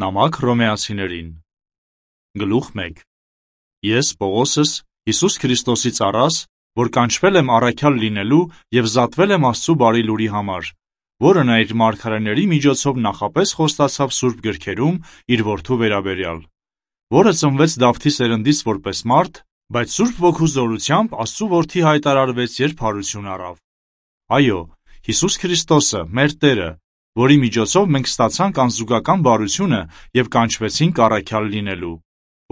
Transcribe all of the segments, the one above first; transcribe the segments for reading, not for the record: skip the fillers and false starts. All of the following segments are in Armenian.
Նամակ Հռոմեացիներին Գլուխ 1 Ես Պողոսս, Հիսուս Քրիստոսի ծառաս, որ կանչվել եմ առաքյալ լինելու և զատվել եմ Աստծու բարի լուրի համար, որը նա իր մարգարեների միջոցով նախապես խոստացավ սուրբ գրքերում իր որդու վերաբերյալ, որը ծնվեց Դավթի սերնդից որպես մարդ, բայց Սուրբ Ոգու զորությամբ Աստծու որդի հայտարարվեց, երբ հարություն առավ։ Այո, Հիսուս Քրիստոսը, մեր Տերը, որի միջոցով մենք ստացանք անզուգական բարությունը և կանչվեցինք առաքյալ լինելու,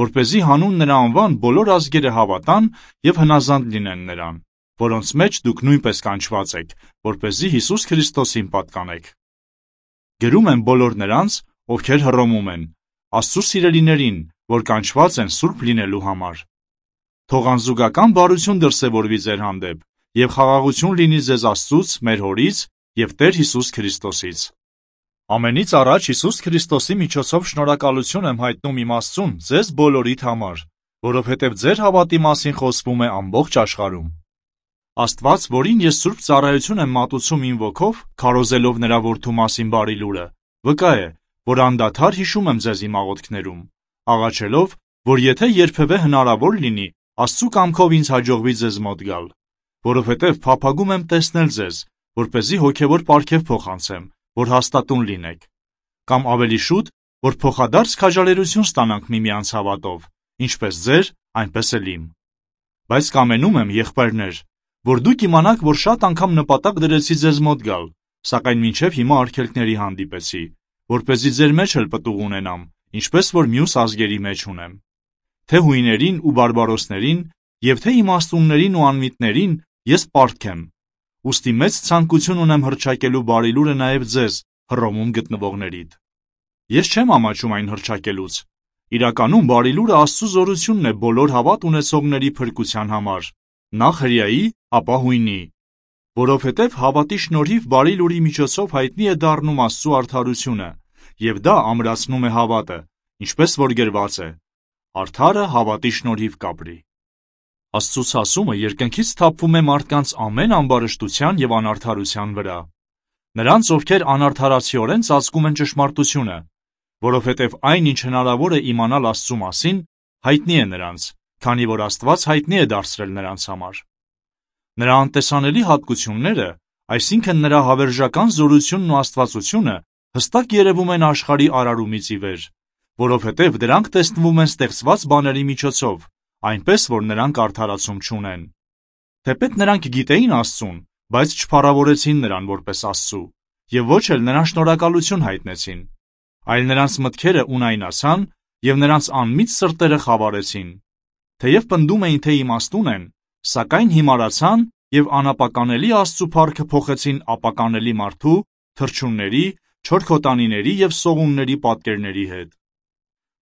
որպեսզի հանուն նրա անվան բոլոր ազգերը հավատան և հնազանդ լինեն նրան, որոնց մեջ դուք նույնպես կանչված եք, որպեսզի Հիսուս Քրիստոսին պատկանեք։ Գրում եմ բոլոր նրանց, ովքեր Հռոմում են, Աստծու սիրելիներին, որ կանչված են սուրբ լինելու համար։ Թող անզուգական բարություն դրսևորվի ձեր հանդեպ, և խաղաղություն լինի ձեզ Աստծուց, մեր Հորից և Տեր Հիսուս Քրիստոսից։ Ամենից առաջ Հիսուս Քրիստոսի միջոցով շնորհակալություն եմ հայտնում իմ Աստծուն ձեզ բոլորիդ համար, որովհետև ձեր հավատի մասին խոսվում է ամբողջ աշխարհում։ Աստված, որին ես սուրբ ծառայություն եմ մատուցում իմ ոգով, քարոզելով նրա որդու մասին բարի լուրը, վկա է, որ անդադար հիշում եմ ձեզ իմ աղոթքներում, աղաչելով, որ եթե երբևէ հնարավոր լինի, Աստծու կամքով ինձ հաջողվի ձեզ մոտ գալ, որովհետև փափագում եմ տեսնել ձեզ, որպեսզի հոգևոր պարգև փոխանցեմ, որ հաստատուն լինեք, կամ ավելի շուտ, որ փոխադարձ քաջալերություն ստանանք միմյանց հավատով, ինչպես ձեր, այնպես էլ իմ։ Բայց կամենում եմ, եղբայրներ, որ դուք իմանաք, որ շատ անգամ նպատակ դրեցի ձեզ մոտ գալ, սակայն մինչև հիմա արգելքների հանդիպեցի, որպեսզի ձեր մեջ էլ պտուղ ունենամ, ինչպես որ մյուս ազգերի մեջ ունեմ։ Թե հույներին ու բարբարոսներին, և թե իմաստուններին ու անմիտներին ես պարտք եմ, ուստի մեծ ցանկություն ունեմ հռչակելու բարի լուրը նաև ձեզ, Հռոմում գտնվողներիդ։ Ես չեմ ամաչում այն հռչակելուց։ Իրականում բարի լուրը Աստծու զորությունն է բոլոր հավատ ունեցողների փրկության համար, նախ հրեայի, ապա հույնի, որովհետև հավատի շնորհիվ բարի լուրի միջոցով հայտնի է դառնում Աստծու արդարությունը, և դա ամրացնում է հավատը, ինչպես որ գրված է. «Արդարը հավատի շնորհիվ կապրի»։ Աստծու ցասումը երկնքից թափվում է մարդկանց ամեն ամբարշտության և անարդարության վրա։ Նրանց, ովքեր անարդարացիորեն ծածկում են ճշմարտությունը, որովհետև այն, ինչ հնարավոր է իմանալ Աստծու մասին, հայտնի է նրանց, քանի որ Աստված հայտնի է դարձրել նրանց համար։ Նրա անտեսանելի հատկությունները, այսինքն նրա հավերժական զորությունն ու աստվածությունը, հստակ երևում են աշխարհի արարումից ի վեր, որովհետև դրանք տեսնվում են ստեղծված բաների միջոցով, այնպես որ նրանք արդարացում չունեն։ Թեպետ նրանք գիտեին Աստծուն, բայց չփառավորեցին նրան որպես Աստծու, և ոչ էլ նրան շնորհակալություն հայտնեցին, այլ նրանց մտքերը ունայնացան, և նրանց անմիտ սրտերը խավարեցին։ Թեև պնդում էին, թե իմաստուն են, սակայն հիմարացան և անապականելի Աստծու փառքը փոխեցին ապականելի մարդու, թռչունների, չորքոտանիների և սողունների պատկերների հետ։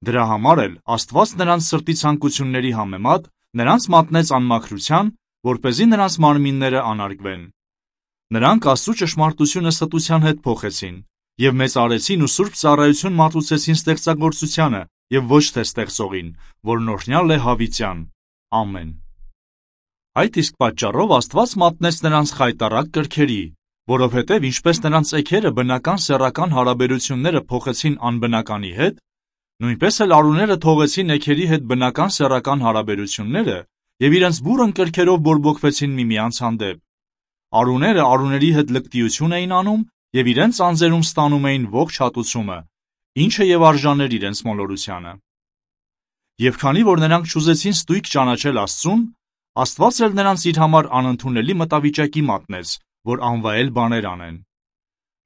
Դրա համար էլ Աստված նրանց սրտի ցանկությունների համեմատ նրանց մատնեց անմաքրության, որպեսզի նրանց մարմինները անարգվեն։ Նրանք Աստծու ճշմարտությունը ստության հետ փոխեցին և մեծարեցին ու սուրբ ծառայություն մատուցեցին ստեղծագործությանը և ոչ թե ստեղծողին, որն օրհնյալ է հավիտյան։ Ամեն։ Այդ իսկ պատճառով Աստված մատնեց նրանց խայտառակ կրքերի, որովհետև ինչպես նրանց էգերը բնական սեռական հարաբերությունները փոխեցին անբնականի հետ, նույնպես էլ արուները թողեցին էգերի հետ բնական սեռական հարաբերությունները և իրենց բուռն կրքերով բորբոքվեցին միմյանց հանդեպ։ Արուները արուների հետ լկտիություն էին անում և իրենց անձերում ստանում էին ողջ հատուցումը, ինչը և արժաներ իրենց մոլորությանը։ Եվ քանի որ նրանք չուզեցին ստույգ ճանաչել Աստծուն, Աստված էլ նրանց իր համար անընդունելի մտավիճակի մատնեց, որ անվայել բաներ անեն։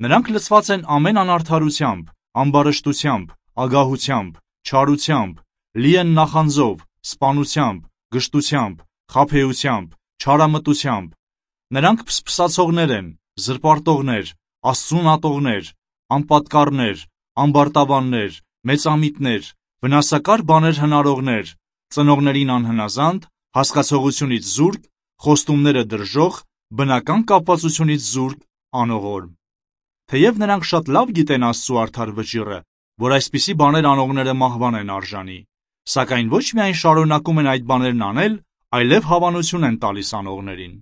Նրանք լցված են ամեն անարդարությամբ, ամբարշտությամբ, ագահությամբ, չարությամբ, լի են նախանձով, սպանությամբ, գժտությամբ, խաբեությամբ, չարամտությամբ։ Նրանք փսփսացողներ են, զրպարտողներ, Աստծուն ատողներ, անպատկառներ, ամբարտավաններ, մեծամիտներ, վնասակար բաներ հնարողներ, ծնողներին անհնազանդ, հասկացողությունից զուրկ, խոստումները դրժող, բնական կապվածությունից զուրկ, անողորմ։ Թեև նրանք շատ լավ գիտեն Աստծու արդար վճիռը, որ այսպիսի բաներ անողները մահվան են արժանի, սակայն ոչ միայն շարունակում են այդ բաներն անել, այլև հավանություն են տալիս անողներին։